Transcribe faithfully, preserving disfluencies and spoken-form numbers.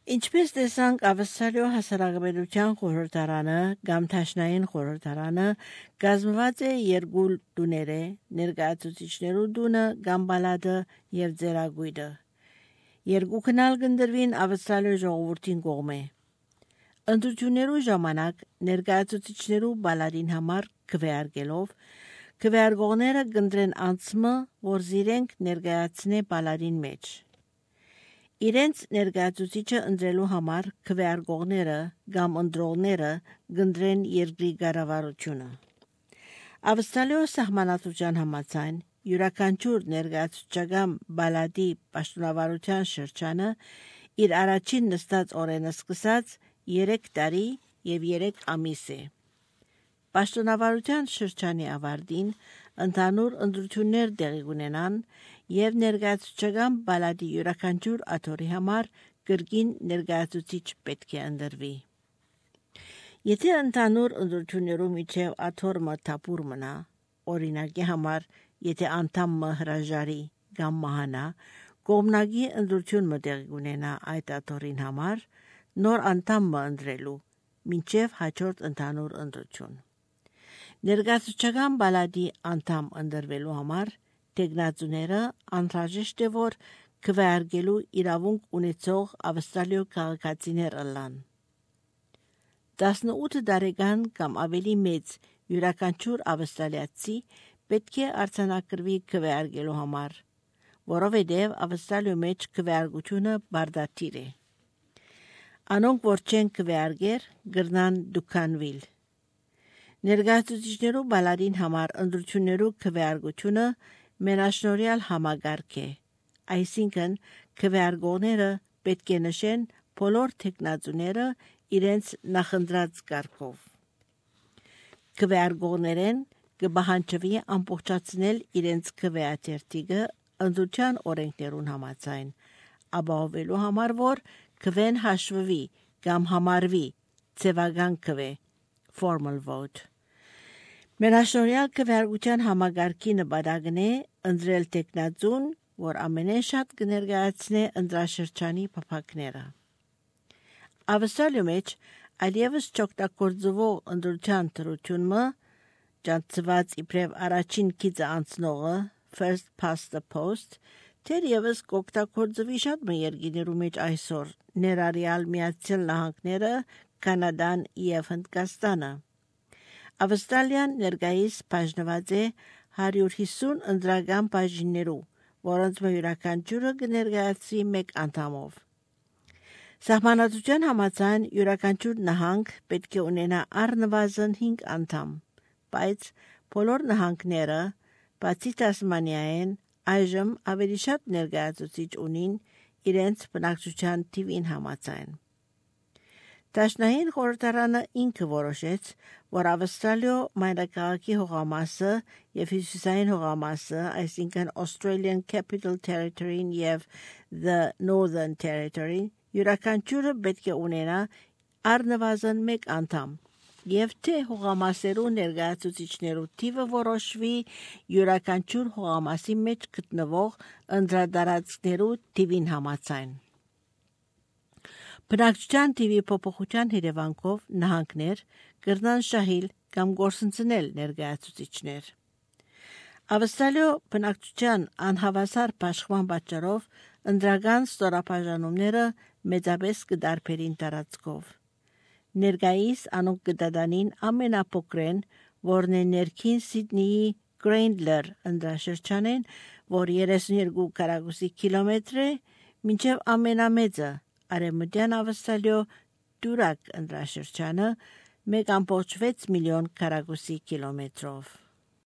Ինչպես տեսանք Ավստրալիո հասարակության խորհրդարանը կամ Թաշնային խորհրդարանը կազմված է երկու տուները, ներկայացուցիչներու տունը կամ բալադը եւ ձեռագույտը։ Երկու քնալ կնդրվին Ավստրալիո ժողովրդին կողմէ։ Ընտրություններու ժամանակ ներկայացուցիչներու բալադին համար քվեարկելով քվեարկողները կընտրեն անձը, որ զիրենք ներկայացնե բալադին մեջ։ Իրենց ներկայացուցիչը ընտրելու համար քվեարկողները կամ ընտրողները կընտրեն երկրի կառավարությունը։ Ավստրալիո սահմանադրության համաձայն յուրաքանչյուր ներկայացուցչական բալադի պաշտոնավարության շրջանը իր առաջին նստած օրենը սկսած երեք տարի եւ երեք ամիս է։ Պաշտոնավարության շրջանի ավարտին ընդհանուր ընտրություններ տեղի ունենան եւ ներկայացուցչական բալադի յուրաքանչյուր աթոռի համար կրկին ներկայացուցիչ պետք է ընտրվի։ Եթե ընդհանուր ընտրություններու միջև աթոռը թափուր մնա, օրինակի համար, եթե անդամը հրաժարի կամ մահանա, կողմնակի ընտրություն մտեղի ունենա այդ աթոռին համար, նոր անդամը ընտրելու, մինչև հաջորդ ընդհանուր ընտրություն։ Ներկայացուցչական բալադի անդամ ընտրվելու համար տեխնացուները անհրաժեշտ է, որ քվեարկելու իրավունք ունեցող ավստրալիո քաղաքացիներ ըլլան։ տասնութ տարեկան կամ ավելի մեծ յուրաքանչյուր ավստրալիացի պետք է արձանագրվի քվեարկելու համար, որովհետև Ավստրալիո մեջ քվեարկությունը բարդաթիր է։ Անոնք, որ չեն քվեարկեր, գրնան դուքանվիլ։ Ներկայացուցիչներու բալադին համար ընտրություններու քվեարկությունը մենաշնորհյալ համագարկ է, այսինքն քվեարկողները պետք է նշեն բոլոր տեխնացուները իրենց նախընտրած կարգով։ Քվեարկողներեն կպահանջվի ամբողջացնել իրենց քվեաթերթիկը ընտրության օրենքներուն համաձայն, ապահովելու համար, որ քվեն հաշվվի կամ համարվի ցևական քվե formal vote։ Մենաշնորհյալ քվեարկության համագարքի նպատակն է ընտրել տեխնացուն, որ ամենեն շատ կներկայացնե ընտրաշրջանի փափակները։ Ավստրալիո մեջ այլևս չօգտագործվող ընտրության թրությունը ճանաչված իբրև առաջին քիծը անցնողը first past the post թերևս կօգտագործվի շատ երկրներու մեջ այսօր, ներառյալ Միացյալ Նահանգները, Կանադան եւ Հնդկաստանը։ Ավստրալիան ներկայիս բաժնված է հարյուր հիսուն ընտրական բաժիններու, որոնց յուրաքանչյուրը կներկայացվի մեկ անդամով։ Սահմանադրության համաձայն յուրաքանչյուր նահանգ պետք է ունենա առնվազն հինգ անդամ, բայց բոլոր նահանգները, բացի Տասմանիայեն, այժմ ավելի շատ ներկայացուցիչ ունին իրենց բնակչության թիվին համաձայն։ Տաշնային խորհրդարանը ինքը որոշեց, որ Ավստրալիո մայրաքաղաքի հողամասը եւ հյուսիսային հողամասը, այսինքն Australian Capital Territory-ն եւ the Northern Territory, յուրաքանչյուրը պետք է ունենա առնվազն մեկ անդամ, եւ թե հողամասերու ներկայացուցիչներու թիվը որոշվի յուրաքանչյուր հողամասի մեջ գտնվող ընտրատարածքներու թիվին համաձայն։ Բնակչության թիվի փոփոխության հետևանքով նահանգներ կրնան շահիլ կամ գործընծնել ներկայացուցիչներ։ Ավստրալիո բնակչության անհավասար բաշխման պատճառով ընտրական ստորաբաժանումները մեծապես կդարբերին տարածքով։ Ներկայիս անոնք կդադանին ամենափոքրեն, որն է ներքին Սիդնեի Գրենդլեր ընտրաշրջանեն, որ երեսունյոթ քառակուսի կիլոմետր է, մինչև ամենամեծը Արևմտյան Ավստրալիո Դուրակ ընտրաշրջանը մեկ կόμma վեց միլիոն քառակուսի կիլոմետրով։